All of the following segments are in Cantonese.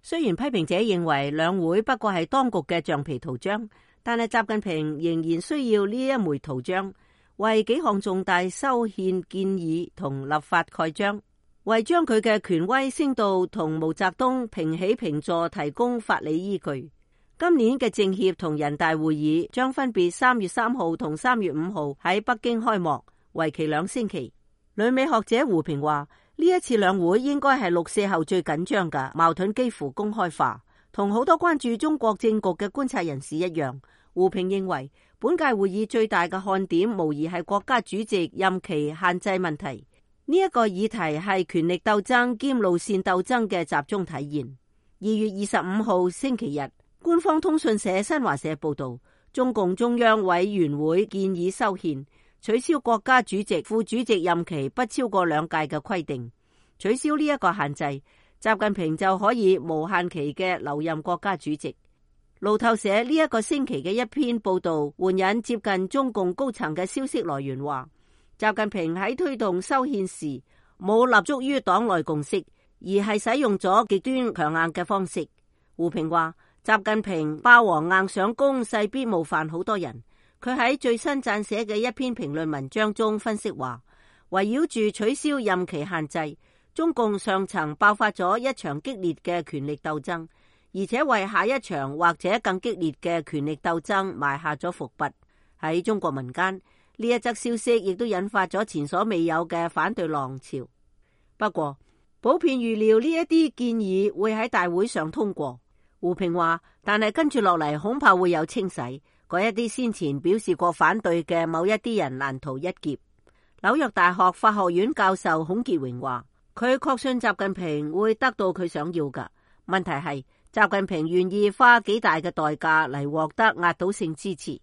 雖然批評者認為兩會不過係當局嘅橡皮圖章，但係習近平仍然需要呢一枚圖章，為幾項重大修憲建議同立法蓋章，為將佢嘅權威升到同毛澤東平起平坐提供法理依據。今年嘅政協同人大會議將分別3月3號同3月5號喺北京開幕，為期2星期。旅美學者胡平話，呢一次兩會應該係6·4後最緊張嘅，矛盾幾乎公開化。同好多關注中國政局嘅觀察人士一樣，胡平認為本屆會議最大嘅看點無疑係國家主席任期限制問題。呢一個議題係權力鬥爭兼路線鬥爭嘅集中體現。2月25號星期日，官方通訊社新華社報道，中共中央委員會建議修憲，取消國家主席、副主席任期不超過2屆嘅規定，取消呢一個限制，習近平就可以無限期嘅留任國家主席。路透社呢一個星期嘅一篇報道援引接近中共高層嘅消息來源話，習近平喺推動修憲時冇立足於黨內共識，而係使用咗極端強硬嘅方式。胡平話，習近平霸王硬上弓，勢必冒犯好多人。佢喺最新撰寫嘅一篇評論文章中分析話，圍繞住取消任期限制，中共上層爆發咗一場激烈嘅權力鬥爭，而且為下一場或者更激烈嘅權力鬥爭埋下咗伏筆。喺中國民間，呢一則消息亦都引發咗前所未有嘅反對浪潮。不過，普遍預料呢一啲建議會喺大會上通過。胡平話，但係跟住落嚟恐怕會有清洗，嗰一啲先前表示過反對嘅某一啲人難逃一劫。紐約大學法學院教授孔傑榮話，佢確信習近平會得到佢想要嘅，問題係習近平願意花幾大嘅代價嚟獲得壓倒性支持。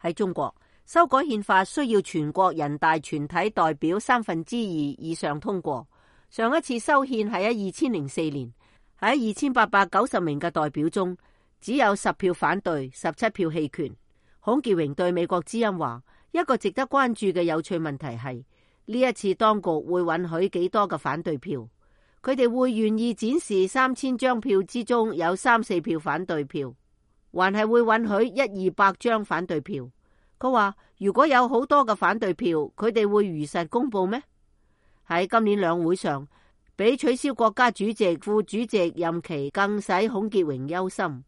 喺中國，修改憲法需要全國人大全體代表2/3以上通過。上一次修憲係喺2004年，喺2890名嘅代表中，只有10票反對，17票棄權。孔傑榮對美國之音話，一個值得關注嘅有趣問題係，呢一次當局會允許幾多嘅反對票？佢哋會願意展示3000張票之中有3-4票反對票，還係會允許100-200張反對票？佢話如果有好多嘅反對票，佢哋會如實公布咩？喺今年兩會上，比取消國家主席、副主席任期更使孔傑榮憂心。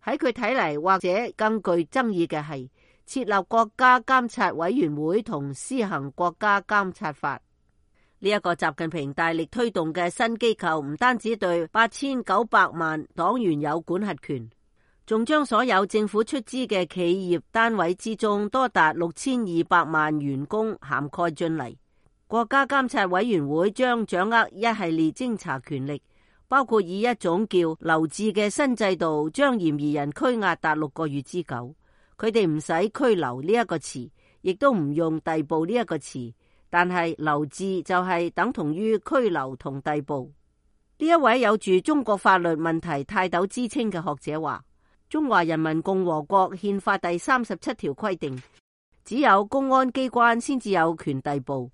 喺佢睇嚟，或者更具爭議嘅係設立國家監察委員會同施行國家監察法。呢一個習近平大力推動嘅新機構，唔單止對8900萬黨員有管轄權，仲將所有政府出資嘅企業單位之中多達6200萬員工涵蓋進嚟。國家監察委員會將掌握一系列偵查權力，包括以一種叫留置嘅新制度，將嫌疑人拘押達6個月之久。佢哋唔使拘留呢一個詞，亦都唔用逮捕呢一個詞，但係留置就係等同於拘留同逮捕。呢一位有住中國法律問題泰斗之稱嘅學者話，中華人民共和國憲法第37條規定，只有公安機關先至有權逮捕，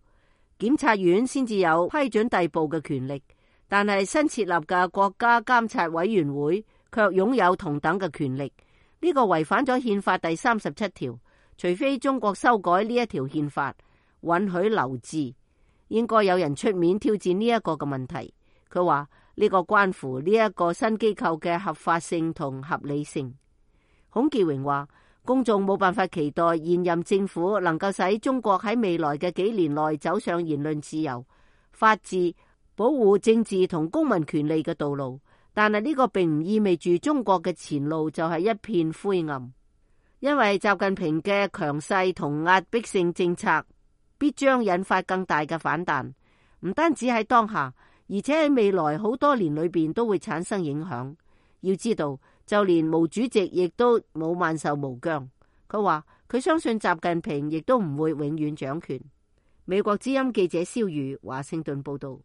檢察院先至有批准逮捕嘅權力，但係新設立嘅國家監察委員會卻擁有同等嘅權力。呢個違反咗憲法第37條，除非中國修改呢一條憲法，允許留置，應該有人出面挑戰呢一個嘅問題。佢話呢個關乎呢一個新機構嘅合法性同合理性。孔傑榮話，公眾冇辦法期待現任政府能夠使中國喺未來嘅幾年內走上言論自由、法治、保護政治同公民權利嘅道路，但係呢個並唔意味住中國嘅前路就係一片灰暗，因為習近平嘅強勢同壓迫性政策必將引發更大嘅反彈，唔單止喺當下，而且喺未來好多年裏邊都會產生影響。要知道，就連毛主席亦都冇萬壽無疆。佢話佢相信習近平亦都唔會永遠掌權。美國之音記者蕭瑜華盛頓報道。